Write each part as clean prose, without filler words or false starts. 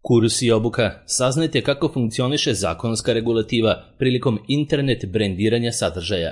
Kurs i obuka. Saznajte kako funkcioniše zakonska regulativa prilikom internet brendiranja sadržaja.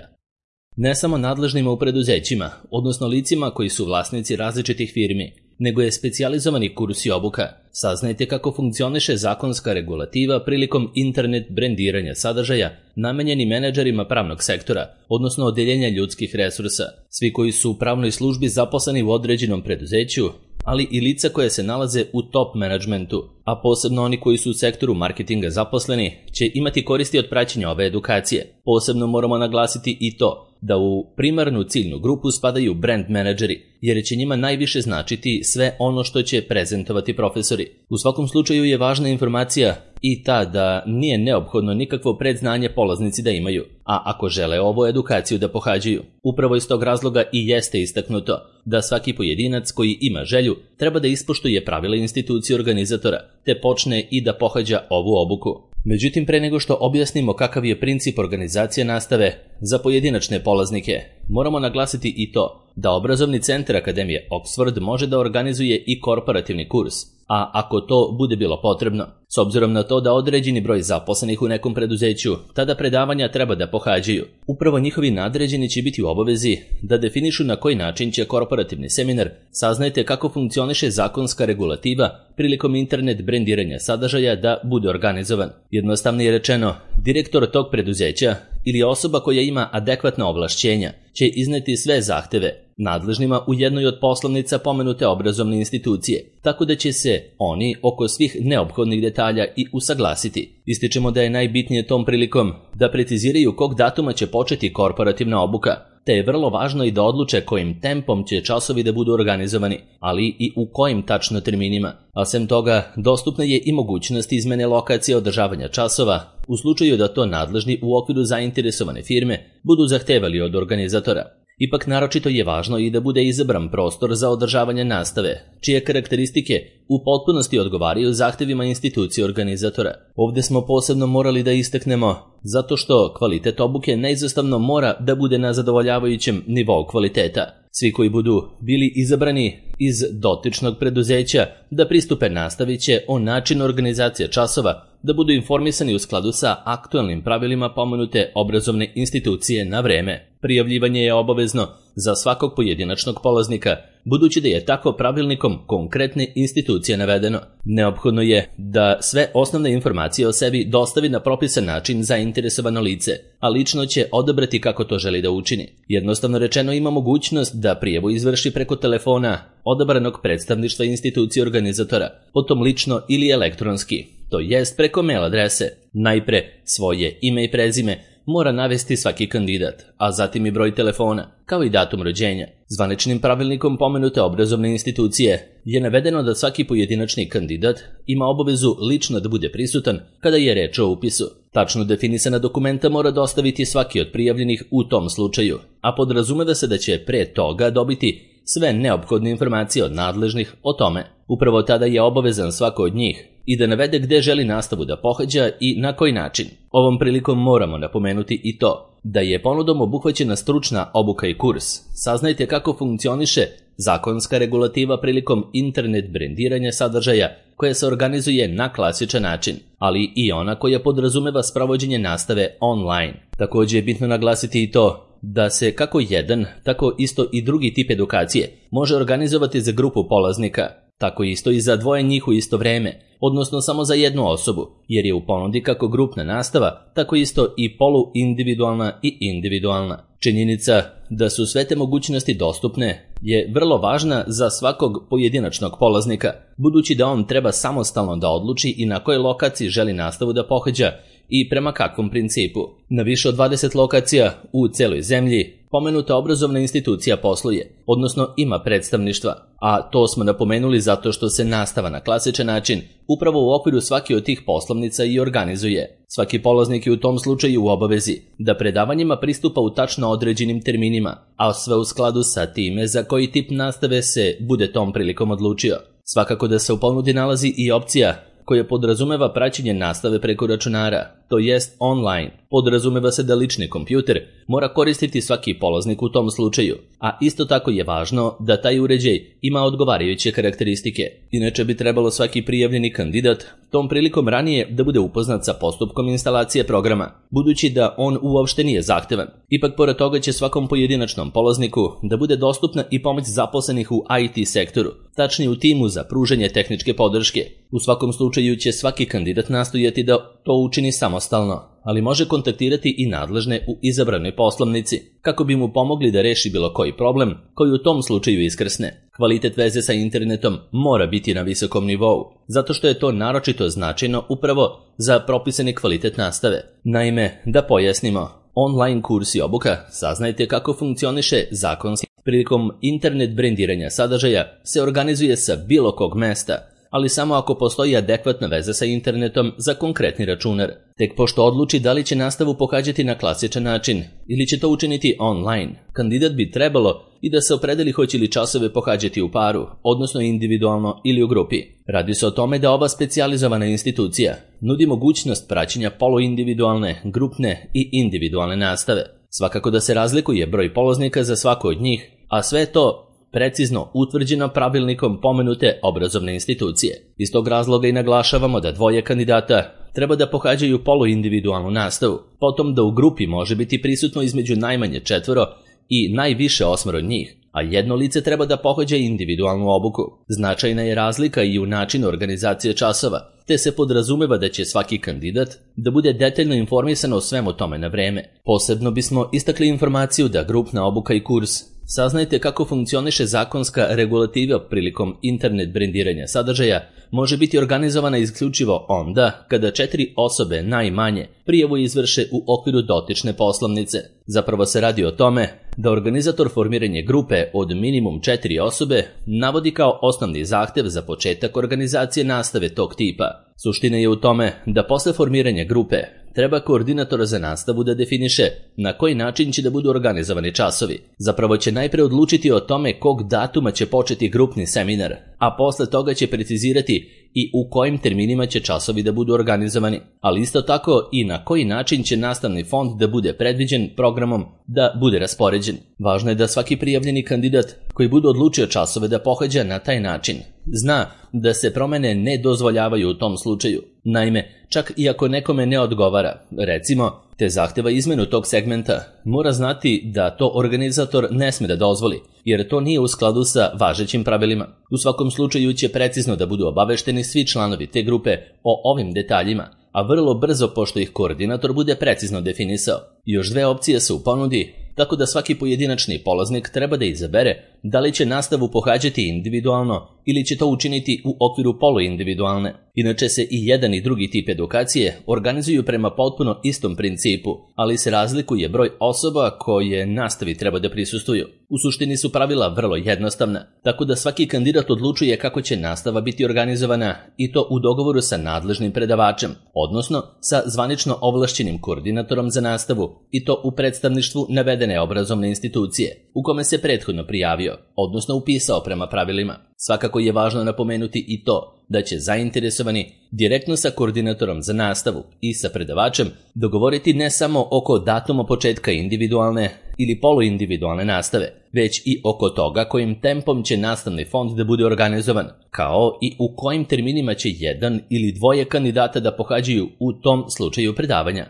Ne samo nadležnima u preduzećima, odnosno licima koji su vlasnici različitih firmi, nego je specijalizovani kurs i obuka. Saznajte kako funkcioniše zakonska regulativa prilikom internet brendiranja sadržaja namenjeni menadžerima pravnog sektora, odnosno odeljenja ljudskih resursa, svi koji su u pravnoj službi zaposleni u određenom preduzeću, ali i lica koje se nalaze u top menadžmentu, a posebno oni koji su u sektoru marketinga zaposleni, će imati koristi od praćenja ove edukacije. Posebno moramo naglasiti i to da u primarnu ciljnu grupu spadaju brand menadžeri, jer će njima najviše značiti sve ono što će prezentovati profesori. U svakom slučaju je važna informacija i ta da nije neophodno nikakvo predznanje polaznici da imaju, a ako žele ovu edukaciju da pohađaju. Upravo iz tog razloga i jeste istaknuto da svaki pojedinac koji ima želju treba da ispoštuje pravila institucije organizatora, te počne i da pohađa ovu obuku. Međutim, pre nego što objasnimo kakav je princip organizacije nastave za pojedinačne polaznike, moramo naglasiti i to da obrazovni centar Akademije Oxford može da organizuje i korporativni kurs, a ako to bude bilo potrebno, s obzirom na to da određeni broj zaposlenih u nekom preduzeću tada predavanja treba da pohađaju, upravo njihovi nadređeni će biti u obavezi da definišu na koji način će korporativni seminar. Saznajte kako funkcioniše zakonska regulativa prilikom internet brendiranja sadržaja da bude organizovan. Jednostavnije rečeno, direktor tog preduzeća ili osoba koja ima adekvatna ovlašćenja će izneti sve zahteve nadležnima u jednoj od poslovnica pomenute obrazovne institucije, tako da će se oni oko svih neophodnih detalja i usaglasiti. Ističemo da je najbitnije tom prilikom da preciziraju kog datuma će početi korporativna obuka, te je vrlo važno i da odluče kojim tempom će časovi da budu organizovani, ali i u kojim tačno terminima. A sem toga, dostupna je i mogućnost izmene lokacije održavanja časova u slučaju da to nadležni u okviru zainteresovane firme budu zahtevali od organizatora. Ipak naročito je važno i da bude izabran prostor za održavanje nastave, čije karakteristike u potpunosti odgovaraju zahtevima institucije organizatora. Ovdje smo posebno morali da istaknemo zato što kvalitet obuke neizostavno mora da bude na zadovoljavajućem nivou kvaliteta. Svi koji budu bili izabrani iz dotičnog preduzeća da pristupe nastavi će o načinu organizacije časova da budu informisani u skladu sa aktualnim pravilima pomenute obrazovne institucije na vreme. Prijavljivanje je obavezno za svakog pojedinačnog polaznika, budući da je tako pravilnikom konkretne institucije navedeno. Neophodno je da sve osnovne informacije o sebi dostavi na propisan način zainteresovano lice, a lično će odabrati kako to želi da učini. Jednostavno rečeno, ima mogućnost da prijavu izvrši preko telefona odabranog predstavništva institucije organizatora, potom lično ili elektronski, to jest preko mail adrese. Najpre svoje ime i prezime mora navesti svaki kandidat, a zatim i broj telefona, kao i datum rođenja. Zvaničnim pravilnikom pomenute obrazovne institucije je navedeno da svaki pojedinačni kandidat ima obavezu lično da bude prisutan kada je reč o upisu. Tačno definisana dokumenta mora dostaviti svaki od prijavljenih u tom slučaju, a podrazumeva se da će pre toga dobiti sve neophodne informacije od nadležnih o tome. Upravo tada je obavezan svako od njih i da navede gde želi nastavu da pohađa i na koji način. Ovom prilikom moramo napomenuti i to da je ponudom obuhvaćena stručna obuka i kurs. Saznajte kako funkcioniše zakonska regulativa prilikom internet brendiranja sadržaja koja se organizuje na klasičan način, ali i ona koja podrazumeva sprovođenje nastave online. Također je bitno naglasiti i to da se kako jedan, tako isto i drugi tip edukacije može organizovati za grupu polaznika, tako isto i za dvoje njih u isto vreme, odnosno samo za jednu osobu, jer je u ponudi kako grupna nastava, tako isto i poluindividualna i individualna. Činjenica da su sve te mogućnosti dostupne je vrlo važna za svakog pojedinačnog polaznika, budući da on treba samostalno da odluči i na kojoj lokaciji želi nastavu da pohađa i prema kakvom principu. Na više od 20 lokacija u celoj zemlji pomenuta obrazovna institucija posluje, odnosno ima predstavništva, a to smo napomenuli zato što se nastava na klasičan način upravo u okviru svake od tih poslovnica i organizuje. Svaki polaznik je u tom slučaju u obavezi da predavanjima pristupa u tačno određenim terminima, a sve u skladu sa time za koji tip nastave se bude tom prilikom odlučio. Svakako da se u ponudi nalazi i opcija koja podrazumeva praćenje nastave preko računara, to jest online. Podrazumeva se da lični kompjuter mora koristiti svaki polaznik u tom slučaju, a isto tako je važno da taj uređaj ima odgovarajuće karakteristike. Inače bi trebalo svaki prijavljeni kandidat tom prilikom ranije da bude upoznat sa postupkom instalacije programa, budući da on uopšte nije zahtevan. Ipak pored toga će svakom pojedinačnom polazniku da bude dostupna i pomoć zaposlenih u IT sektoru, tačnije u timu za pružanje tehničke podrške. U svakom slučaju će svaki kandidat nastojati da to učini samostalno, ali može kontaktirati i nadležne u izabranoj poslovnici, kako bi mu pomogli da reši bilo koji problem koji u tom slučaju iskrsne. Kvalitet veze sa internetom mora biti na visokom nivou, zato što je to naročito značajno upravo za propisani kvalitet nastave. Naime, da pojasnimo, online kurs i obuka, saznajte kako funkcioniše zakonski. Prilikom internet brendiranja sadržaja se organizuje sa bilo kog mesta, ali samo ako postoji adekvatna veza sa internetom za konkretni računar. Tek pošto odluči da li će nastavu pohađati na klasičan način ili će to učiniti online, kandidat bi trebalo i da se opredeli hoće li časove pohađati u paru, odnosno individualno ili u grupi. Radi se o tome da ova specijalizovana institucija nudi mogućnost praćenja poluindividualne, grupne i individualne nastave. Svakako da se razlikuje broj polaznika za svako od njih, a sve to precizno utvrđeno pravilnikom pomenute obrazovne institucije. Iz tog razloga i naglašavamo da dvoje kandidata treba da pohađaju poluindividualnu nastavu, potom da u grupi može biti prisutno između najmanje 4 i najviše 8 njih, a jedno lice treba da pohađa individualnu obuku. Značajna je razlika i u načinu organizacije časova, te se podrazumeva da će svaki kandidat da bude detaljno informisan o svemu tome na vreme. Posebno bismo istakli informaciju da grupna obuka i kurs saznajte kako funkcioniše zakonska regulativa prilikom internet brendiranja sadržaja može biti organizovana isključivo onda kada 4 osobe najmanje prijavu izvrše u okviru dotične poslovnice. Zapravo se radi o tome da organizator formiranje grupe od minimum 4 osobe navodi kao osnovni zahtev za početak organizacije nastave tog tipa. Suština je u tome da posle formiranja grupe treba koordinator za nastavu da definiše na koji način će da budu organizovani časovi. Zapravo će najpre odlučiti o tome kog datuma će početi grupni seminar, a posle toga će precizirati i u kojim terminima će časovi da budu organizovani, ali isto tako i na koji način će nastavni fond da bude predviđen programom da bude raspoređen. Važno je da svaki prijavljeni kandidat koji bude odlučio časove da pohađa na taj način zna da se promene ne dozvoljavaju u tom slučaju. Naime, čak i ako nekome ne odgovara, recimo, te zahteva izmenu tog segmenta, mora znati da to organizator ne sme da dozvoli, jer to nije u skladu sa važećim pravilima. U svakom slučaju će precizno da budu obavešteni svi članovi te grupe o ovim detaljima, a vrlo brzo pošto ih koordinator bude precizno definisao. Još 2 opcije su u ponudi, tako da svaki pojedinačni polaznik treba da izabere da li će nastavu pohađati individualno ili će to učiniti u okviru poluindividualne. Inače se i jedan i drugi tip edukacije organizuju prema potpuno istom principu, ali se razlikuje broj osoba koje nastavi treba da prisustvuju. U suštini su pravila vrlo jednostavna, tako da svaki kandidat odlučuje kako će nastava biti organizovana i to u dogovoru sa nadležnim predavačem, odnosno sa zvanično ovlašćenim koordinatorom za nastavu i to u predstavništvu navedene obrazovne institucije, u kome se prethodno prijavio, odnosno upisao prema pravilima. Svakako je važno napomenuti i to da će zainteresovani direktno sa koordinatorom za nastavu i sa predavačem dogovoriti ne samo oko datuma početka individualne ili poluindividualne nastave, već i oko toga kojim tempom će nastavni fond da bude organizovan, kao i u kojim terminima će jedan ili dvoje kandidata da pohađaju u tom slučaju predavanja.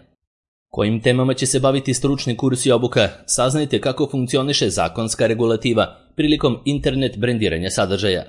Kojim temama će se baviti stručni kurs i obuka, saznajte kako funkcioniše zakonska regulativa prilikom internet brendiranja sadržaja.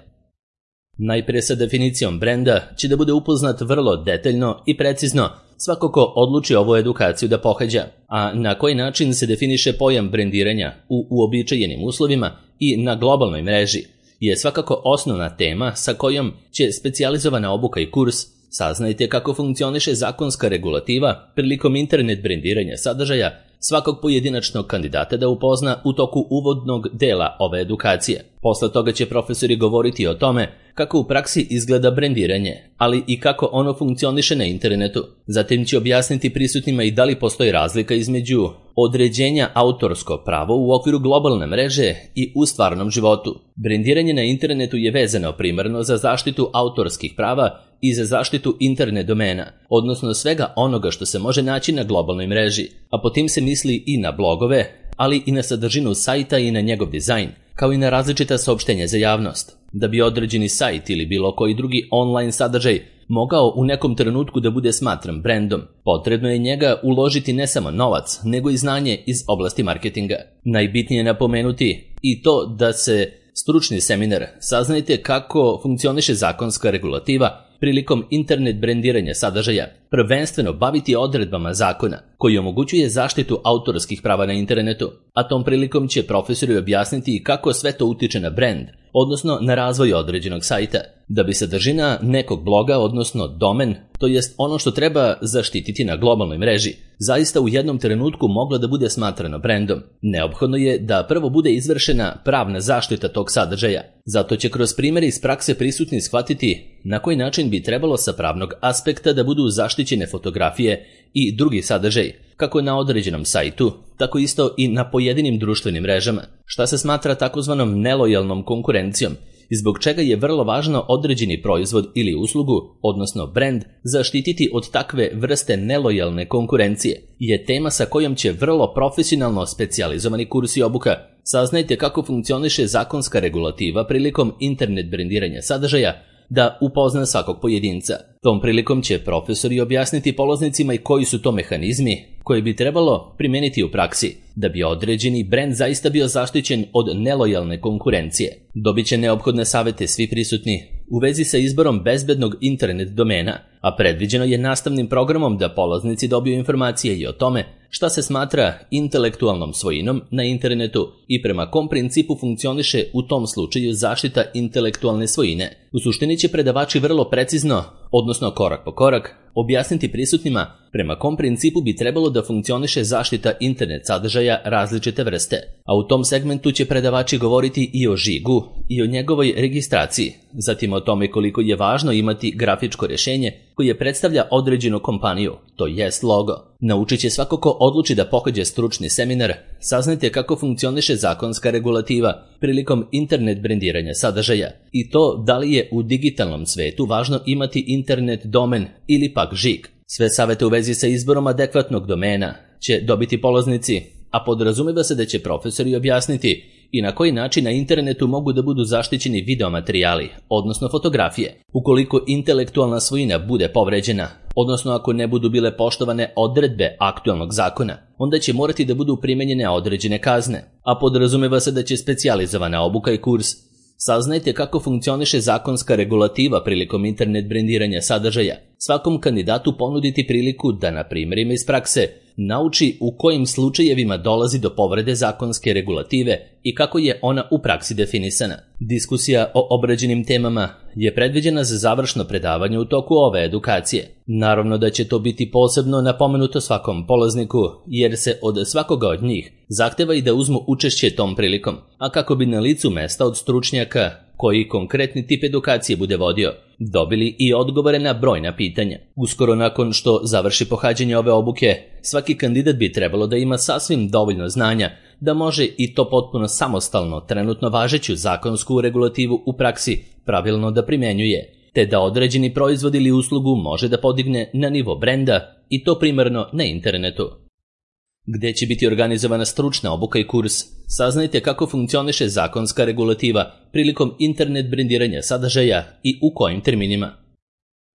Najpre sa definicijom brenda će da bude upoznat vrlo detaljno i precizno svako ko odluči ovu edukaciju da pohađa, a na koji način se definiše pojam brendiranja u uobičajenim uslovima i na globalnoj mreži je svakako osnovna tema sa kojom će specijalizovana obuka i kurs. Saznajte kako funkcioniše zakonska regulativa prilikom internet brendiranja sadržaja svakog pojedinačnog kandidata da upozna u toku uvodnog dela ove edukacije. Posle toga će profesori govoriti o tome kako u praksi izgleda brendiranje, ali i kako ono funkcioniše na internetu. Zatim će objasniti prisutnima i da li postoji razlika između određenja autorsko pravo u okviru globalne mreže i u stvarnom životu. Brendiranje na internetu je vezano primarno za zaštitu autorskih prava i za zaštitu internet domena, odnosno svega onoga što se može naći na globalnoj mreži, a po tim se misli i na blogove, ali i na sadržinu sajta i na njegov dizajn, kao i na različita saopštenja za javnost. Da bi određeni sajt ili bilo koji drugi online sadržaj mogao u nekom trenutku da bude smatran brendom, potrebno je njega uložiti ne samo novac, nego i znanje iz oblasti marketinga. Najbitnije je napomenuti i to da se stručni seminar Saznajte kako funkcioniše zakonska regulativa prilikom internet brendiranja sadržaja prvenstveno baviti odredbama zakona koji omogućuje zaštitu autorskih prava na internetu, a tom prilikom će profesori objasniti kako sve to utiče na brend, odnosno na razvoj određenog sajta, da bi sadržina nekog bloga, odnosno domen, to jest ono što treba zaštititi na globalnoj mreži, zaista u jednom trenutku mogla da bude smatrano brendom. Neophodno je da prvo bude izvršena pravna zaštita tog sadržaja. Zato će kroz primjere iz prakse prisutni shvatiti na koji način bi trebalo sa pravnog aspekta da budu zaštićene fotografije i drugi sadržaj, kako na određenom sajtu, tako isto i na pojedinim društvenim mrežama, šta se smatra takozvanom nelojalnom konkurencijom i zbog čega je vrlo važno određeni proizvod ili uslugu, odnosno brend, zaštititi od takve vrste nelojalne konkurencije, je tema sa kojom će vrlo profesionalno specijalizovani kursi obuka Saznajte kako funkcioniše zakonska regulativa prilikom internet brendiranja sadržaja da upozna svakog pojedinca. Tom prilikom će profesori objasniti polaznicima i koji su to mehanizmi koje bi trebalo primijeniti u praksi da bi određeni brend zaista bio zaštićen od nelojalne konkurencije. Dobit će neophodne savete svi prisutni u vezi sa izborom bezbednog internet domena, a predviđeno je nastavnim programom da polaznici dobiju informacije i o tome šta se smatra intelektualnom svojinom na internetu i prema kom principu funkcioniše u tom slučaju zaštita intelektualne svojine. U suštini će predavači vrlo precizno, odnosno korak po korak, objasniti prisutnima prema kom principu bi trebalo da funkcioniše zaštita internet sadržaja različite vrste, a u tom segmentu će predavači govoriti i o žigu i o njegovoj registraciji, zatim o tome koliko je važno imati grafičko rješenje koje predstavlja određenu kompaniju, to jest logo. Naučit će svako ko odluči da pohađa stručni seminar, saznajte kako funkcioniše zakonska regulativa prilikom internet brendiranja sadržaja i to da li je u digitalnom svetu važno imati internet domen ili pak žig. Sve savete u vezi sa izborom adekvatnog domena će dobiti polaznici, a podrazumijeva se da će profesori objasniti i na koji način na internetu mogu da budu zaštićeni videomaterijali, odnosno fotografije, ukoliko intelektualna svojina bude povređena, odnosno ako ne budu bile poštovane odredbe aktualnog zakona, onda će morati da budu primenjene određene kazne, a podrazumijeva se da će specijalizovana obuka i kurs Saznajte kako funkcioniše zakonska regulativa prilikom internet brendiranja sadržaja svakom kandidatu ponuditi priliku da na primjerima iz prakse nauči u kojim slučajevima dolazi do povrede zakonske regulative i kako je ona u praksi definisana. Diskusija o obrađenim temama je predviđena za završno predavanje u toku ove edukacije. Naravno da će to biti posebno napomenuto svakom polazniku, jer se od svakoga od njih zahteva i da uzmu učešće tom prilikom, a kako bi na licu mesta od stručnjaka koji konkretni tip edukacije bude vodio, dobili i odgovore na brojna pitanja. Uskoro nakon što završi pohađanje ove obuke, svaki kandidat bi trebalo da ima sasvim dovoljno znanja da može i to potpuno samostalno trenutno važeću zakonsku regulativu u praksi pravilno da primjenjuje, te da određeni proizvod ili uslugu može da podigne na nivo brenda i to primarno na internetu. Gde će biti organizovana stručna obuka i kurs, saznajte kako funkcioniše zakonska regulativa prilikom internet brendiranja sadržaja i u kojim terminima.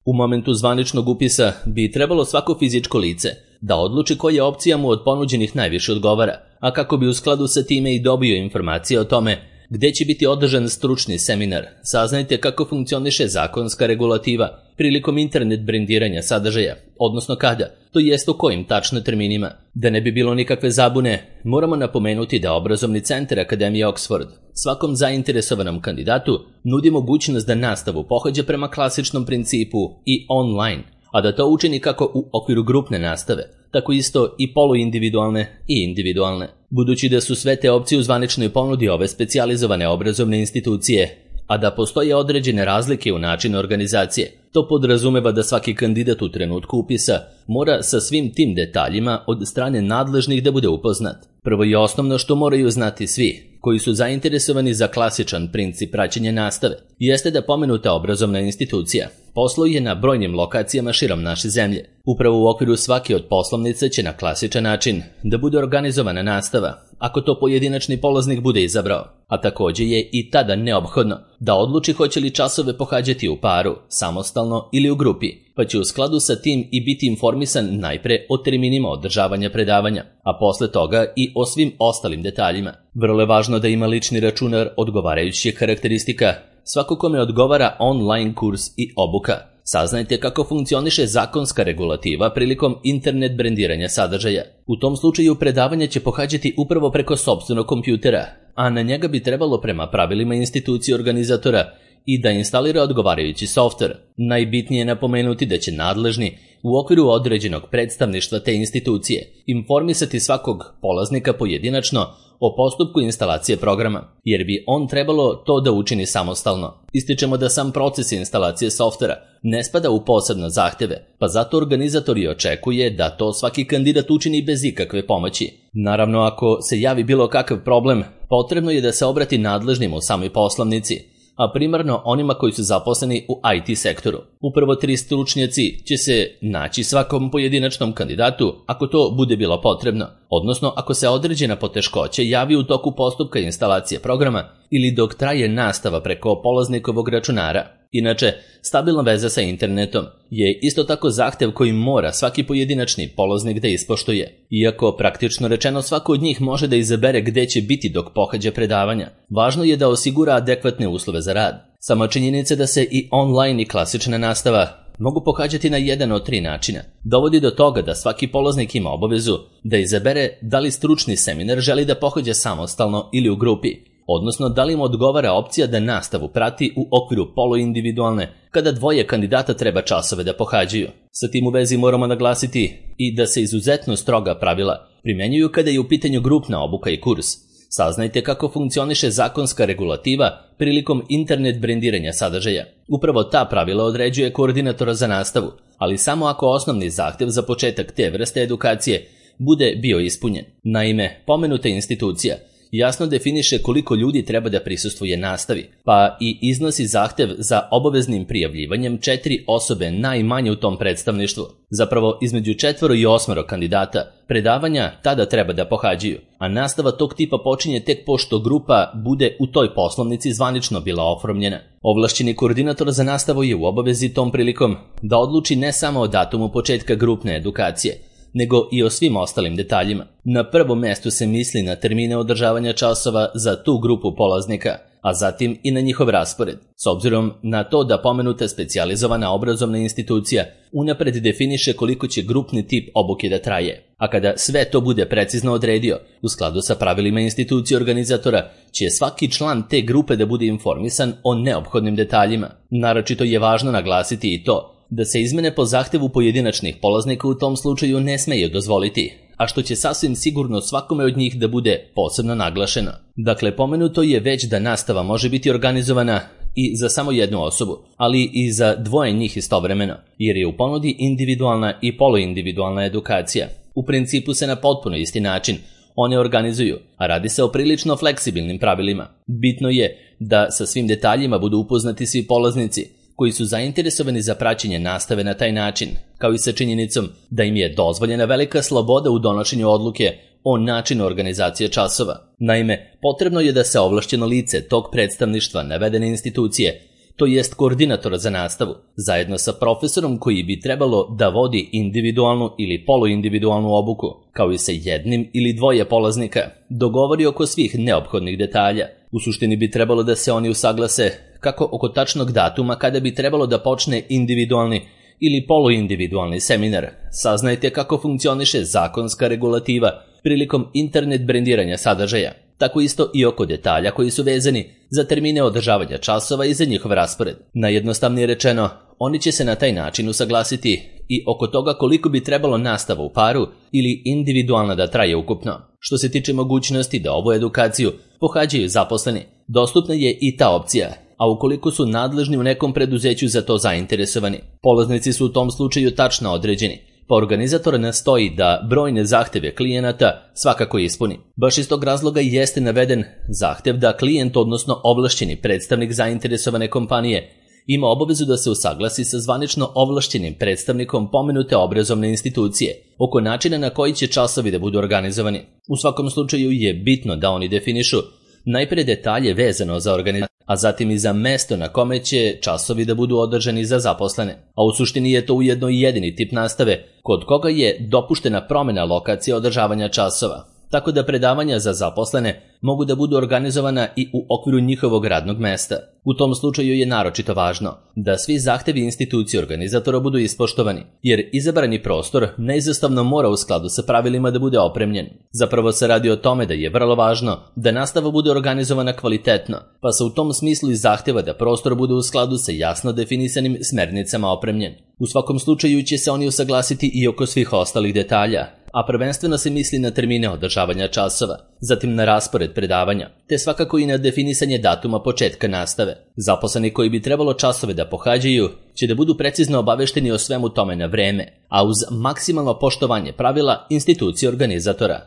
U momentu zvaničnog upisa bi trebalo svako fizičko lice da odluči koja opcija mu od ponuđenih najviše odgovara, a kako bi u skladu sa time i dobio informacije o tome gde će biti održan stručni seminar, saznajte kako funkcioniše zakonska regulativa prilikom internet brendiranja sadržaja, odnosno kada, to jest u kojim tačno terminima. Da ne bi bilo nikakve zabune, moramo napomenuti da obrazovni centar Akademije Oxford svakom zainteresovanom kandidatu nudi mogućnost da nastavu pohađa prema klasičnom principu i online, a da to učini kako u okviru grupne nastave, tako isto i poluindividualne i individualne. Budući da su sve te opcije u zvaničnoj ponudi ove specijalizovane obrazovne institucije, a da postoje određene razlike u načinu organizacije. To podrazumeva da svaki kandidat u trenutku upisa mora sa svim tim detaljima od strane nadležnih da bude upoznat. Prvo i osnovno što moraju znati svi koji su zainteresovani za klasičan princip praćenja nastave jeste da pomenuta obrazovna institucija posluje na brojnim lokacijama širom naše zemlje. Upravo u okviru svake od poslovnica će na klasičan način da bude organizovana nastava, ako to pojedinačni polaznik bude izabrao, a također je i tada neophodno da odluči hoće li časove pohađati u paru, samostalno ili u grupi, pa će u skladu sa tim i biti informisan najpre o terminima održavanja predavanja, a posle toga i o svim ostalim detaljima. Vrlo je važno da ima lični računar odgovarajućih karakteristika, svako kome odgovara online kurs i obuka. Saznajte kako funkcioniše zakonska regulativa prilikom internet brendiranja sadržaja. U tom slučaju predavanje će pohađati upravo preko sopstvenog kompjutera, a na njega bi trebalo prema pravilima institucije organizatora i da instalira odgovarajući softver. Najbitnije je napomenuti da će nadležni u okviru određenog predstavništva te institucije informisati svakog polaznika pojedinačno o postupku instalacije programa, jer bi on trebalo to da učini samostalno. Ističemo da sam proces instalacije softvera ne spada u posebne zahteve, pa zato organizator i očekuje da to svaki kandidat učini bez ikakve pomoći. Naravno, ako se javi bilo kakav problem, potrebno je da se obrati nadležnim u samoj poslovnici, a primarno onima koji su zaposleni u IT sektoru. Upravo 3 stručnjaci će se naći svakom pojedinačnom kandidatu ako to bude bilo potrebno, odnosno ako se određena poteškoća javi u toku postupka instalacije programa ili dok traje nastava preko polaznikovog računara. Inače, stabilna veza sa internetom je isto tako zahtev koji mora svaki pojedinačni polaznik da ispoštuje. Iako praktično rečeno svako od njih može da izabere gde će biti dok pohađa predavanja, važno je da osigura adekvatne uslove za rad. Sama činjenica da se i online i klasična nastava mogu pohađati na jedan od 3 načina dovodi do toga da svaki polaznik ima obavezu da izabere da li stručni seminar želi da pohađa samostalno ili u grupi, odnosno da li mu odgovara opcija da nastavu prati u okviru poluindividualne, kada 2 kandidata treba časove da pohađaju. Sa tim u vezi moramo naglasiti i da se izuzetno stroga pravila primenjuju kada je u pitanju grupna obuka i kurs. Saznajte kako funkcioniše zakonska regulativa prilikom internet brendiranja sadržaja. Upravo ta pravila određuje koordinatora za nastavu, ali samo ako osnovni zahtev za početak te vrste edukacije bude bio ispunjen. Naime, pomenuta institucija jasno definiše koliko ljudi treba da prisustvuje nastavi, pa i iznosi zahtev za obaveznim prijavljivanjem 4 osobe najmanje u tom predstavništvu. Zapravo, između 4 i 8 kandidata predavanja tada treba da pohađaju, a nastava tog tipa počinje tek pošto grupa bude u toj poslovnici zvanično bila oformljena. Ovlašćeni koordinator za nastavu je u obavezi tom prilikom da odluči ne samo o datumu početka grupne edukacije, nego i o svim ostalim detaljima. Na prvom mestu se misli na termine održavanja časova za tu grupu polaznika, a zatim i na njihov raspored. S obzirom na to da pomenuta specijalizovana obrazovna institucija unapred definiše koliko će grupni tip obuke da traje, a kada sve to bude precizno odredio, u skladu sa pravilima institucije organizatora, će svaki član te grupe da bude informisan o neophodnim detaljima. Naročito je važno naglasiti i to da se izmene po zahtevu pojedinačnih polaznika u tom slučaju ne smeju dozvoliti, a što će sasvim sigurno svakome od njih da bude posebno naglašeno. Dakle, pomenuto je već da nastava može biti organizovana i za samo jednu osobu, ali i za 2 njih istovremeno, jer je u ponudi individualna i poluindividualna edukacija. U principu se na potpuno isti način one organizuju, a radi se o prilično fleksibilnim pravilima. Bitno je da sa svim detaljima budu upoznati svi polaznici koji su zainteresovani za praćenje nastave na taj način, kao i sa činjenicom da im je dozvoljena velika sloboda u donošenju odluke o načinu organizacije časova. Naime, potrebno je da se ovlašćeno lice tog predstavništva navedene institucije, to jest koordinatora za nastavu, zajedno sa profesorom koji bi trebalo da vodi individualnu ili poluindividualnu obuku, kao i sa 1 ili 2 polaznika, dogovori oko svih neophodnih detalja. U suštini bi trebalo da se oni usaglase kako oko tačnog datuma kada bi trebalo da počne individualni ili poluindividualni seminar. Saznajte kako funkcioniše zakonska regulativa prilikom internet brendiranja sadržaja, tako isto i oko detalja koji su vezani za termine održavanja časova i za njihov raspored. Najjednostavnije rečeno, oni će se na taj način usaglasiti i oko toga koliko bi trebalo nastava u paru ili individualna da traje ukupno. Što se tiče mogućnosti da ovu edukaciju pohađaju zaposleni, dostupna je i ta opcija, a ukoliko su nadležni u nekom preduzeću za to zainteresovani. Polaznici su u tom slučaju tačno određeni, pa organizator nastoji da brojne zahteve klijenata svakako ispuni. Baš iz tog razloga jeste naveden zahtev da klijent, odnosno ovlašćeni predstavnik zainteresovane kompanije, ima obavezu da se usaglasi sa zvanično ovlašćenim predstavnikom pomenute obrazovne institucije oko načina na koji će časovi da budu organizovani. U svakom slučaju je bitno da oni definišu najpre detalje vezano za organizaciju, a zatim i za mesto na kome će časovi da budu održani za zaposlene. A u suštini je to ujedno i jedini tip nastave kod koga je dopuštena promjena lokacije održavanja časova, tako da predavanja za zaposlene mogu da budu organizovana i u okviru njihovog radnog mesta. U tom slučaju je naročito važno da svi zahtevi institucije organizatora budu ispoštovani, jer izabrani prostor neizostavno mora u skladu sa pravilima da bude opremljen. Zapravo se radi o tome da je vrlo važno da nastava bude organizovana kvalitetno, pa se u tom smislu i zahteva da prostor bude u skladu sa jasno definisanim smernicama opremljen. U svakom slučaju će se oni usaglasiti i oko svih ostalih detalja, a prvenstveno se misli na termine održavanja časova, zatim na raspored predavanja, te svakako i na definisanje datuma početka nastave. Zaposleni koji bi trebalo časove da pohađaju će da budu precizno obavešteni o svemu tome na vreme, a uz maksimalno poštovanje pravila institucije organizatora.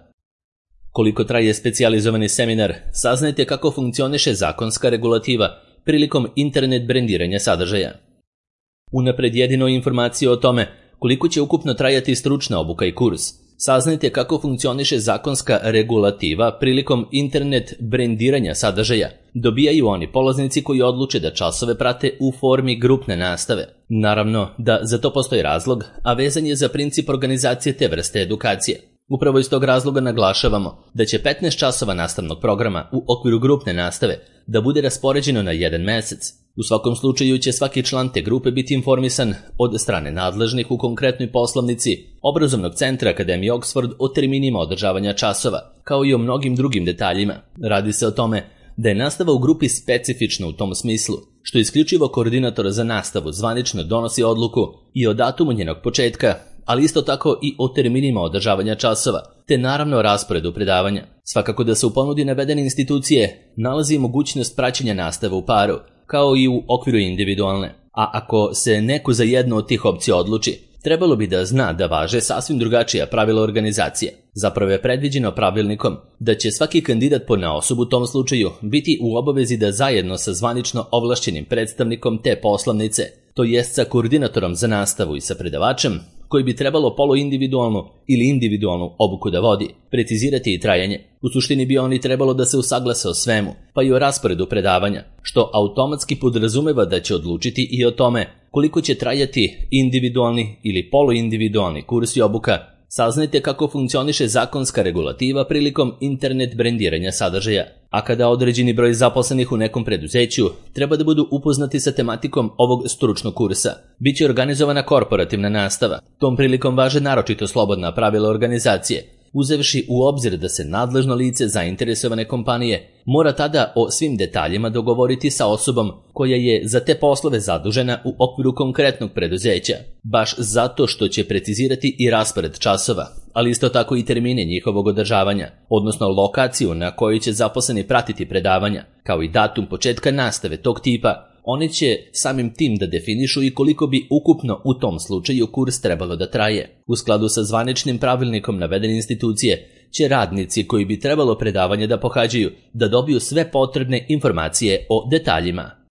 Koliko traje specijalizovani seminar, saznajte kako funkcioniše zakonska regulativa prilikom internet brendiranja sadržaja. Unapred jedino informacije o tome koliko će ukupno trajati stručna obuka i kurs, saznajte kako funkcioniše zakonska regulativa prilikom internet brendiranja sadržaja, dobijaju oni polaznici koji odluče da časove prate u formi grupne nastave. Naravno da za to postoji razlog, a vezan je za princip organizacije te vrste edukacije. Upravo iz tog razloga naglašavamo da će 15 časova nastavnog programa u okviru grupne nastave da bude raspoređeno na jedan mesec. U svakom slučaju će svaki član te grupe biti informisan od strane nadležnih u konkretnoj poslovnici Obrazovnog centra Akademije Oxford o terminima održavanja časova, kao i o mnogim drugim detaljima. Radi se o tome da je nastava u grupi specifična u tom smislu, što isključivo koordinator za nastavu zvanično donosi odluku i o datumu njenog početka, ali isto tako i o terminima održavanja časova, te naravno o rasporedu predavanja. Svakako da se u ponudi navedene institucije nalazi mogućnost praćenja nastave u paru, kao i u okviru individualne. A ako se neko za jednu od tih opcija odluči, trebalo bi da zna da važe sasvim drugačija pravila organizacije. Zapravo je predviđeno pravilnikom da će svaki kandidat ponaosob u tom slučaju biti u obavezi da zajedno sa zvanično ovlašćenim predstavnikom te poslovnice, to jest sa koordinatorom za nastavu i sa predavačem, koji bi trebalo poluindividualnu ili individualnu obuku da vodi, precizirati i trajanje. U suštini bi oni trebalo da se usaglase o svemu, pa i o rasporedu predavanja, što automatski podrazumeva da će odlučiti i o tome koliko će trajati individualni ili poluindividualni kurs i obuka. Saznajte kako funkcioniše zakonska regulativa prilikom internet brendiranja sadržaja. A kada određeni broj zaposlenih u nekom preduzeću treba da budu upoznati sa tematikom ovog stručnog kursa, biće organizovana korporativna nastava. Tom prilikom važe naročito slobodna pravila organizacije, uzevši u obzir da se nadležno lice zainteresovane kompanije mora tada o svim detaljima dogovoriti sa osobom koja je za te poslove zadužena u okviru konkretnog preduzeća, baš zato što će precizirati i raspored časova, ali isto tako i termine njihovog održavanja, odnosno lokaciju na kojoj će zaposleni pratiti predavanja, kao i datum početka nastave tog tipa. Oni će samim tim da definišu i koliko bi ukupno u tom slučaju kurs trebalo da traje. U skladu sa zvaničnim pravilnikom navedene institucije će radnici koji bi trebalo predavanje da pohađaju da dobiju sve potrebne informacije o detaljima.